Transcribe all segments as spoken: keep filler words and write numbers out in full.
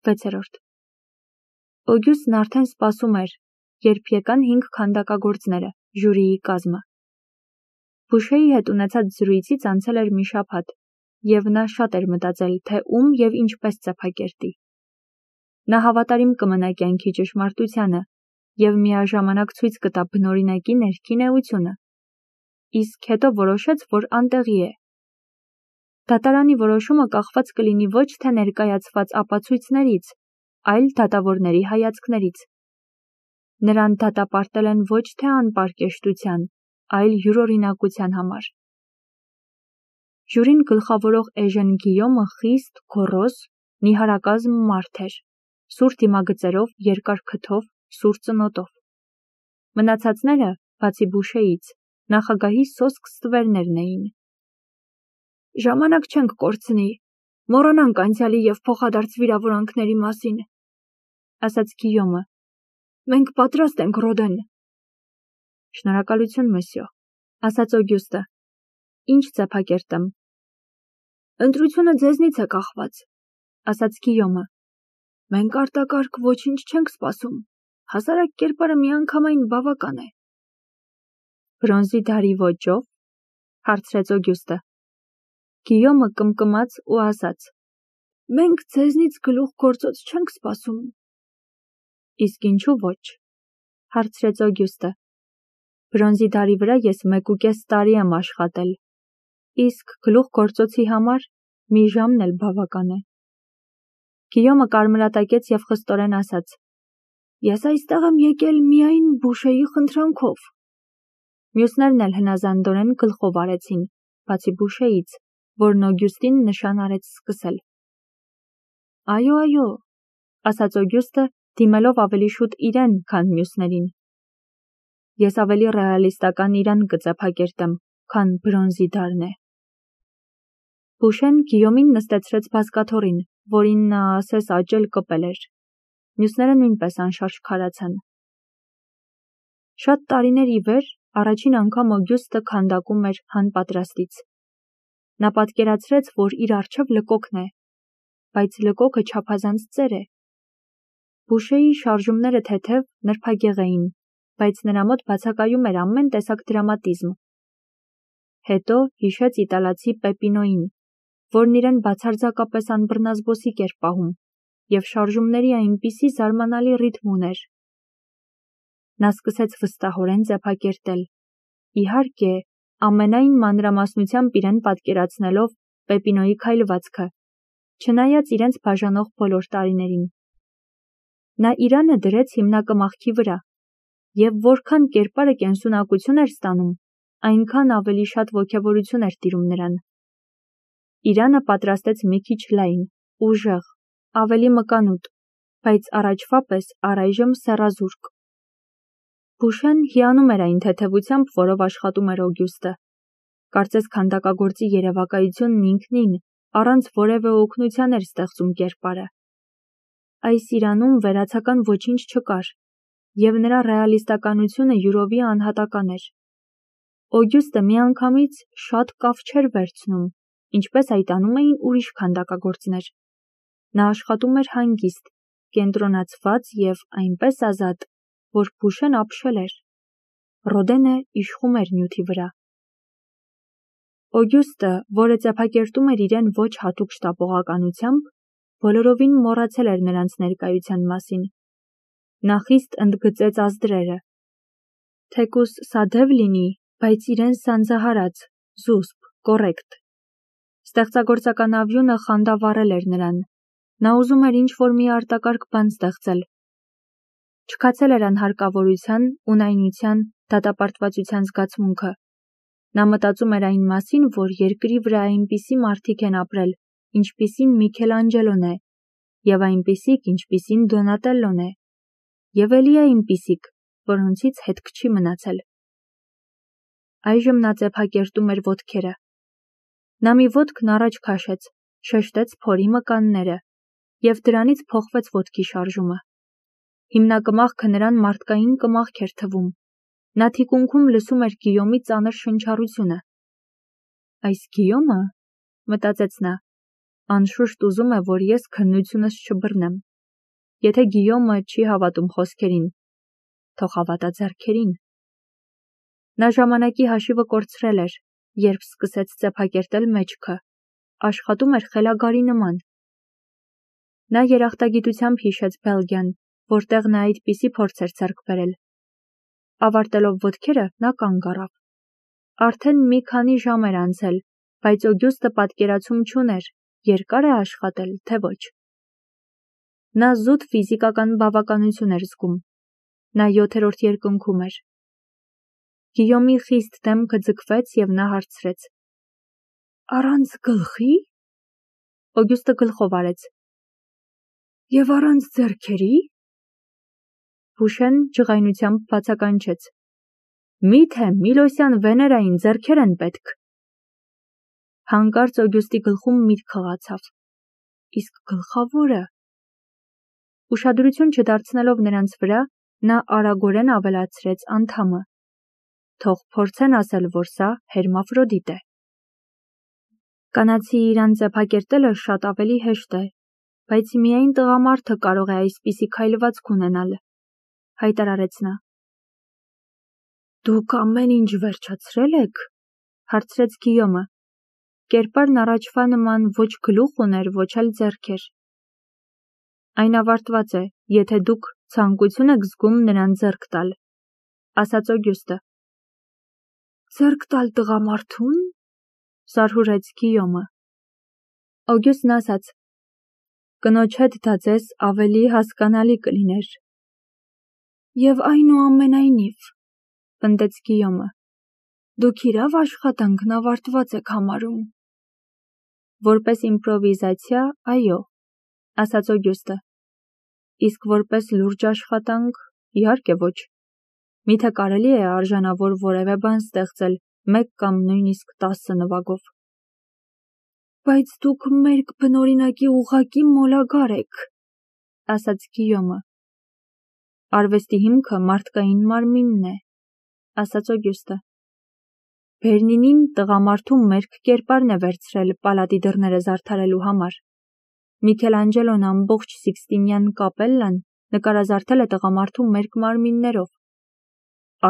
վեցերորդ Օգյուստն արդեն սպասում էր, երբ եկան հինգ քանդակագործները, ժյուրիի կազմը։ Բուշեի հետ ունեցած զրույցից անցել էր մի շաբաթ, և նա շատ էր մտածել, թե ում և ինչպես ծեփակերտի։ Նա հավատարիմ կմնա կյանքի ճշմարտությանը և միաժամանակ ցույց կտա բնօրինակի ներքին էությունը։ Իսկ հետո որոշեց, որ անտեղի է։ Դատարանի որոշումը կախված կլինի ոչ թե ներկայացված ապացույցներից, այլ դատավորների հայացքներից։ Նրան դատապարտել են ոչ թե անպարկեշտության, այլ յուրօրինակության համար։ Ժյուրին գլխավորող Էժեն Գիյոմը խիստ, գոռոզ, նիհարակազմ մարդ էր, սուր դիմագծերով, երկար քթով, սուր ծնոտով։ Մնացածները, բացի Բուշեից, նախագահի սոսկ ստվերներն էին։ Ժամանակ չենք կորցնի, մոռանանք անցյալի և փոխադարձ վիրավորանքների մասին, ասաց Գիյոմը։ Մենք պատրաստ ենք, Ռոդեն։ Շնորհակալություն, մսյո, ասաց Օգյուստը։ Ինչ ծեփակերտեմ։ Ընտրությունը ձեզնից է կախված, ասաց Գիյոմը։ Մենք արտակարգ ոչինչ չենք սպասում, հասարակ կերպարը միանգամայն բավական է։ Բրոնզի դարի ոճով, հարցրեց Օգյուստը։ Գիյոմը կմկմաց ու ասաց. Մենք ձեզնից գլուխ գործոց չենք սպասում։ Իսկ ինչու ոչ, հարցրեց Օգյուստը։ Բրոնզի դարի վրա ես մեկուկես տարի եմ աշխատել, իսկ գլուխ գործոցի համար մի ժամն էլ բավական է։ Գիյոմը կարմրատակեց և խստորեն ասաց. Ես այստեղ եմ եկել միայն Բուշեի խնդրանքով։ Մյուսներն էլ հնազանդորեն գլխով արեցին, բացի Բուշեից, որն Օգյուստին նշան արեց սկսել։ Այո, այո, ասաց Օգյուստը, դիմելով ավելի շուտ իրեն, քան մյուսներին։ Ես ավելի ռեալիստական իրան կծեփակերտեմ, քան բրոնզի դարն է։ Բուշեն Գիյոմին նստեցրեց բազկաթոռին, որին նա ասես աճել կպել էր։ Մյուսները նույնպես անշարժ քարացան։ Շատ տարիներ ի վեր առաջին անգամ Օգյուստը քանդակում էր հանպատրաստից։ Նա պատկերացրեց, որ իր առջև լկոկն է, բայց լկոկը չափազանց ծեր է։ Բուշեի շարժումները թեթև, նրբագեղ էին, բայց նրա մոտ բացակայում էր ամեն տեսակ դրամատիզմ։ Հետո հիշեց իտալացի Պեպինոյին, որն իրեն բացարձակապես անբռնազբոսիկ էր պահում, և շարժումների այնպիսի զարմանալի ռիթմ ուներ։ Նա սկսեց վստահորեն ծեփակերտել, իհարկե, ամենայն մանրամասնությամբ իրեն պատկերացնելով Պեպինոյի քայլվածքը, չնայած իրենց բաժանող բոլոր տարիներին։ Նա իրանը դրեց հիմնակմախքի վրա, և որքան կերպարը կենսունակություն էր ստանում, այնքան ավելի շատ ոգևորություն էր տիրում նրան։ Իրանը պատրաստեց մի քիչ լայն, ուժեղ, ավելի մկանուտ, բայց առաջվա պես առայժմ սեռազուրկ։ Բուշեն հիանում էր այն թեթևությամբ, որով աշխատում էր Օգյուստը։ Կարծես քանդակագործի երևակայությունն ինքնին, առանց որևէ օգնության էր ստեղծում կերպարը։ Այս իրանում վերացական ոչինչ չկար, և նրա ռեալիստականությունը յուրովի անհատական էր։ Օգյուստը միանգամից շատ կավ չէր վերցնում, ինչպես այդ անում էին ուրիշ քանդակագործներ։ Նա աշխատում էր հանգիստ, կենտրոնացված և այնպես ազատ, որ Բուշեն ապշել էր։ Ռոդենը իշխում էր նյութի վրա։ Օգյուստը, որը ծեփակերտում էր իրեն ոչ հատուկ շտապողականությամբ, բոլորովին մոռացել էր նրանց ներկայության մասին։ Նա խիստ ընդգծեց ազդրերը։ Թեկուզ սադև լինի, բայց իրեն սանձահարած, զուսպ, կոռեկտ։ Ստեղծագործական ավյունը խանդավառել էր նրան։ Նա ուզում էր ինչ-որ մի արտակարգ բան ստեղծել։ Չքացել էր անհարկավորության, ունայնության, դատապարտվածության զգացմունքը։ Նա մտածում էր այն մասին, որ երկրի վրա այնպիսի մարդիկ են ապրել, ինչպիսին Միքելանջելոն է, և այնպիսիք, ինչպիսին Դոնատելլոն է, և էլի այնպիսիք, որոնցից հետք չի մնացել։ Այժմ նա ծեփակերտում էր ոտքերը։ Նա մի ոտքն առաջ քաշեց, շեշտեց փորի մկանները, և դրանից փոխվեց ոտքի շարժումը։ Հիմնակմախքը նրան մարդկային կմախք էր թվում։ Նա թիկունքում լսում էր Գիյոմի ծանր շնչառությունը։ Այս Գիյոմը, մտածեց նա, անշուշտ ուզում է, որ ես քննությունս չբռնեմ։ Եթե Գիյոմը չի հավատում խոսքերին, թող հավատա ձեռքերին։ Նա ժամանակի հաշիվը կորցրել էր, երբ սկսեց ծեփակերտել մեջքը, աշխատում էր խելագարի նման։ Նա երախտագիտությամբ հիշեց Բելգիան, որտեղ նա այդպիսի փորձ էր ձեռք բերել։ Ավարտելով ոտքերը, նա կանգ առավ։ Արդեն մի քանի ժամ էր անցել, բայց Օգյուստը պատկերացում չուներ, երկար է աշխատել, թե ոչ։ Նա զուտ ֆիզիկական բավականություն էր զգում։ Նա յոթերորդ երկնքում էր։ Գիյոմի խիստ դեմքը ձգվեց և նա հարցրեց. Առանց գլխի։ Օգյուստը գլխով արեց։ Եվ առանց ձեռքերի։ Բուշեն ջղայնությամբ բացականչեց. Միթե Միլոսյան Վեներային ձեռքեր են պետք։ Հանկարծ Օգյուստի գլխում միտք խղացավ. Իսկ գլխավորը։ Ուշադրություն չդարձնելով նրանց վրա, նա արագորեն ավելացրեց անդամը. Թող փորձեն ասել, որ սա հերմաֆրոդիտ է։ Կանացի իրան ծեփակերտելը շատ ավելի հեշտ է, բայց միայն տղամարդը կարող է այսպիսի քայլվածք ունենալ, հայտարարեց նա։ Դուք ամեն ինչ վերջացրել եք, հարցրեց Գիյոմը։ Կերպարն առաջվա նման ոչ գլուխ ուներ, ոչ էլ ձեռքեր։ Այն ավարտված է, եթե դուք ցանկություն եք զգում նրան ձեռք տալ, ասաց Օգյուստը։ Ձեռք տալ տղամարդուն, զարհուրեց Գիյոմը։ Օգյուստն ասաց. Կնոջ հետ դա ձեզ ավելի հասկանալի կլիներ։ Եվ այնուամենայնիվ, պնդեց Գիյոմը, դուք իրավ աշխատանքն ավարտված եք համարում։ Որպես իմպրովիզացիա, այո, ասաց Օգյուստը։ Իսկ որպես լուրջ աշխատանք, իհարկե ոչ։ Միթե կարելի է արժանավոր որևէ բան ստեղծել մեկ կամ նույնիսկ տասը նվագով։ Բայց դուք մերկ բնօրինակի ուղղակի մոլագար եք, ասաց Գիյոմը։ Արվեստի հիմքը մարդկային մարմինն է, ասաց Օգյուստը։ Բերնինին տղամարդու մերկ կերպարն է վերցրել պալատի դռները զարդարելու համար։ Միքելանջելոն ամբողջ Սիքստինյան կապելլան նկարազարդել է տղամարդու մերկ մարմիններով։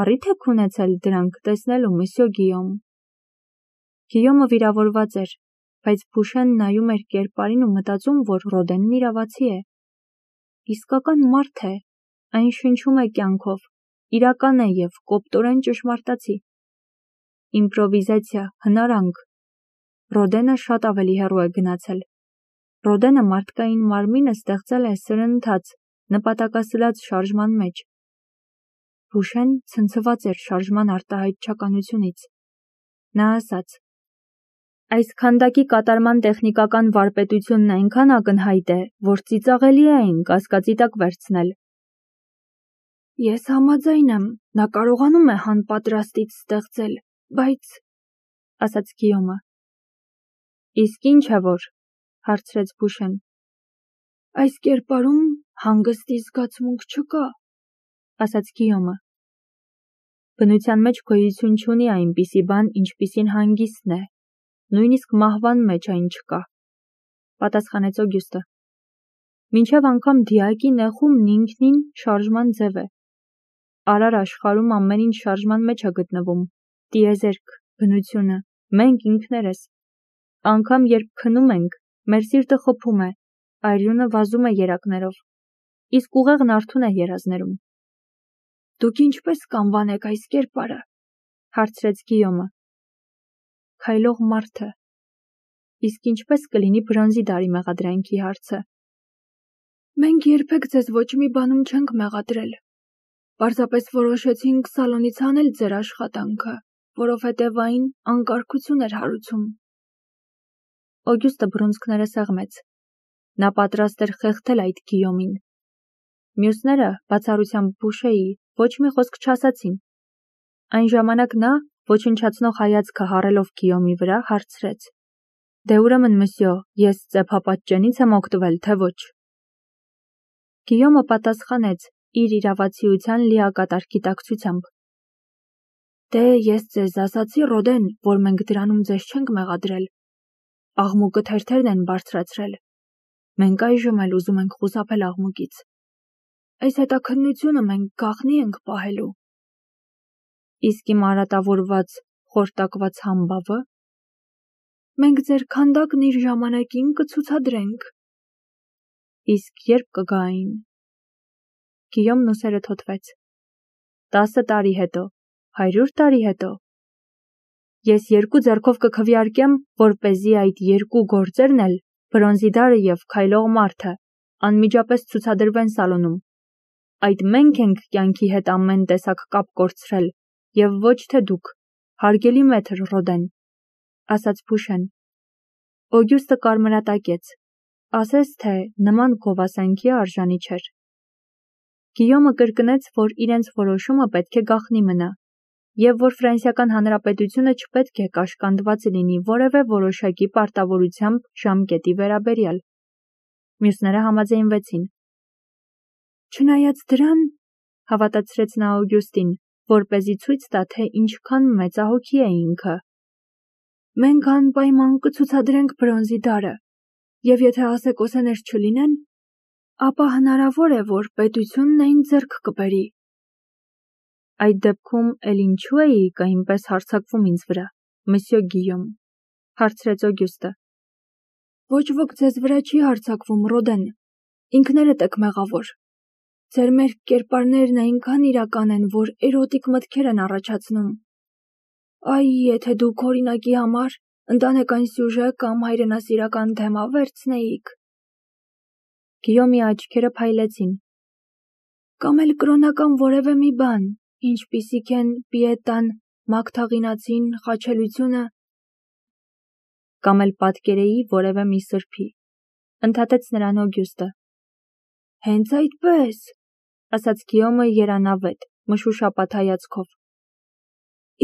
Առիթ եք ունեցել դրանք տեսնելու, մսյո Գիյոմ։ Գիյոմը վիրավորված էր, բայց Բուշեն նայում էր կերպարին ու մտածում, որ Ռոդենն իրավացի է։ Իսկական մարդ է, այն շնչում է կյանքով, իրական է և կոպտորեն ճշմարտացի։ Իմպրովիզացիա, հնարանք։ Ռոդենը շատ ավելի հեռու է գնացել։ Ռոդենը մարդկային մարմինը ստեղծել է սրընթաց, նպատակասլաց շարժման մեջ։ Բուշեն ցնցված էր շարժման արտահայտչականությունից։ Նա ասաց. Այս քանդակի կատարման տեխնիկական վարպետությունն այնքան ակնհայտ է, որ ծիծաղելի է այն կասկածի տակ վերցնել։ Ես համաձայն եմ, նա կարողանում է հանպատրաստից ստեղծել, բայց, ասաց Գիյոմը։ Իսկ ինչ է որ, հարցրեց Բուշեն։ Այս կերպարում հանգստի զգացմունք չկա, ասաց Գիյոմը։ Բնության մեջ գոյություն չունի այնպիսի բան, ինչպիսին հանգիստն է, նույնիսկ մահվան մեջ այն չկա, պատասխանեց Օգյուստը։ Մինչև անգամ դիակի նեխումն ինքնին շարժման ձև է։ Արար աշխարհում ամեն ինչ շարժման մեջ է գտնվում, տիեզերք, բնությունը, մենք ինքներս։ Անգամ երբ քնում ենք, մեր սիրտը խփում է, արյունը վազում է երակներով, իսկ ուղեղն արթուն է երազներում։ Դուք ինչպես կանվանեք այս կերպարը, հարցրեց Գիյոմը։ Քայլող մարդը։ Իսկ ինչպես կլինի բրոնզի դարի մեղադրանքի հարցը։ Մենք երբեք ձեզ ոչ մի բանում չենք մեղադրել։ Պարզապես որոշեցինք սալոնից հանել ձեր աշխատանքը, որովհետև այն անկարգություն էր հարուցում։ Օգյուստը բռունցքները սեղմեց։ Նա պատրաստ էր խեղդել այդ Գիյոմին։ Մյուսները, բացառությամբ Բուշեի, ոչ մի խոսք չասացին։ Այն ժամանակ նա, ոչնչացնող հայացքը հառելով Գիյոմի վրա, հարցրեց. Դե ուրեմն, մսյո, ես ծեփապատճենից եմ օգտվել, թե ոչ։ Գիյոմը պատասխանեց իր իրավացիության լիակատար գիտակցությամբ։ Դե ես ձեզ ասացի, Ռոդեն, որ մենք դրանում ձեզ չենք մեղադրել։ Աղմուկը թերթերն են բարձրացրել։ Մենք այժմ էլ ուզում ենք խուսափել աղմուկից։ այս հետաքննությունը մենք գաղտնի ենք պահելու։ Իսկ իմ արատավորված, խորտակված համբավը։ Մենք ձեր քանդակն իր ժամանակին կցուցադրենք։ Իսկ երբ կգա այն։ Գիյոմն ուսերը թոթվեց։ Տասը տարի հետո, հարյուր տարի հետո։ Ես երկու ձեռքով կքվեարկեմ, որպեսզի այդ երկու գործերն էլ, բրոնզի դարը և քայլող մարդը, անմիջապես ցուցադրվեն սալոնում։ Այդ մենք ենք կյանքի հետ ամեն տեսակ կապ կորցրել, և ոչ թե դուք, հարգելի մեթր Ռոդեն, ասաց Փուշեն։ Օգյուստը կարմրատակեց, ասես թե նման գովասանքի արժանի չէր։ Գիյոմը կրկնեց, որ իրենց որոշումը պետք է գաղտնի մնա, և որ Ֆրանսիական Հանրապետությունը չպետք է կաշկանդված լինի որևէ որոշակի պարտավորությամբ ժամկետի վերաբերյալ։ Մյուսները համաձայնվեցին։ Չնայած դրան, հավատացրեց նա Օգյուստին, որպեսզի ցույց տա, թե ինչքան մեծահոգի է ինքը։ Մենք անպայման կցուցադրենք բրոնզի դարը, և եթե ասեկոսեներ չլինեն, ապա հնարավոր է, որ պետությունն այն ձեռք կբերի։ Այդ դեպքում էլ ինչու էիք այնպես հարձակվում ինձ վրա, մսյո Գիյոմ, հարցրեց Օգյուստը։ Ոչ ոք ձեզ վրա չի հարձակվում, Ռոդեն, ինքներդ եք մեղավոր։ Ձեր մերկ կերպարներն այնքան իրական են, որ էրոտիկ մտքեր են առաջացնում։ Այ, եթե դուք օրինակի համար ընտանեկան սյուժե կամ հայրենասիրական թեմա վերցնեիք։ Գիյոմի աչքերը փայլեցին։ Կամ էլ կրոնական որևէ մի բան, ինչպիսիք են պիետան, մագթաղինացին, խաչելությունը։ Կամ էլ պատկերեի որևէ մի սրբի, ընդհատեց նրան Օգյուստը։ Հենց այդպես, ասաց Գիյոմը երանավետ, մշուշապատ հայացքով։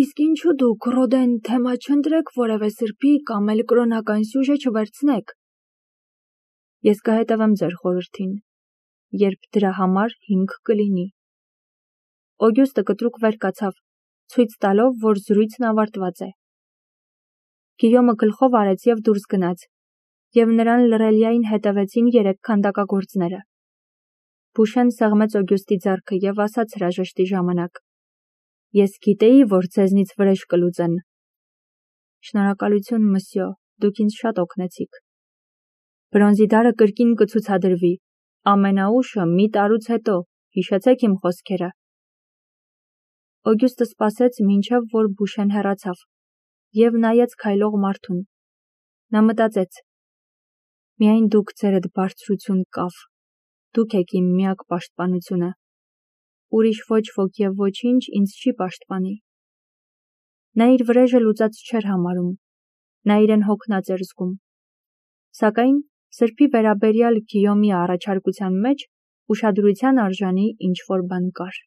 Իսկ ինչու դուք, Ռոդեն, թեմա չընտրեք որևէ սրբի կամ էլ կրոնական սյուժե չվերցնեք։ Ես կհետևեմ ձեր խորհրդին, երբ դրա համար հիմք կլինի։ Օգյուստը կտրուկ վեր կացավ, ցույց տալով, որ զրույցն ավարտված է։ Գիյոմը գլխով արեց և դուրս գնաց, և նրան լռելիային հետևեցին երեք քանդակագործները։ Փուշեն սեղմեց Օգյուստի ձեռքը և ասաց հրաժեշտի ժամանակ. Ես գիտեի, որ ձեզնից վրեժ կլուծեն։ Շնորհակալություն, մսյո, դուք ինձ շատ օգնեցիք։ Բրոնզի դարը կրկին կցուցադրվի, ամենաուշը մի տարուց հետո, հիշեցեք իմ խոսքերը։ Օգյուստը սպասեց, մինչև որ Փուշեն հեռացավ, և նայեց քայլող մարդուն։ Նա մտածեց. Միայն դուք ձերդ բարձրություն կավ, դուք եք իմ միակ պաշտպանությունը։ Ուրիշ ոչ ոք և ոչինչ ինձ չի պաշտպանի։ Նա իր վրեժը լուծած չէր համարում, նա իրեն հոգնած էր զգում։ Սակայն սրբի վերաբերյալ Գիյոմի առաջարկության մեջ ուշադրության արժանի ինչ-որ բան կար։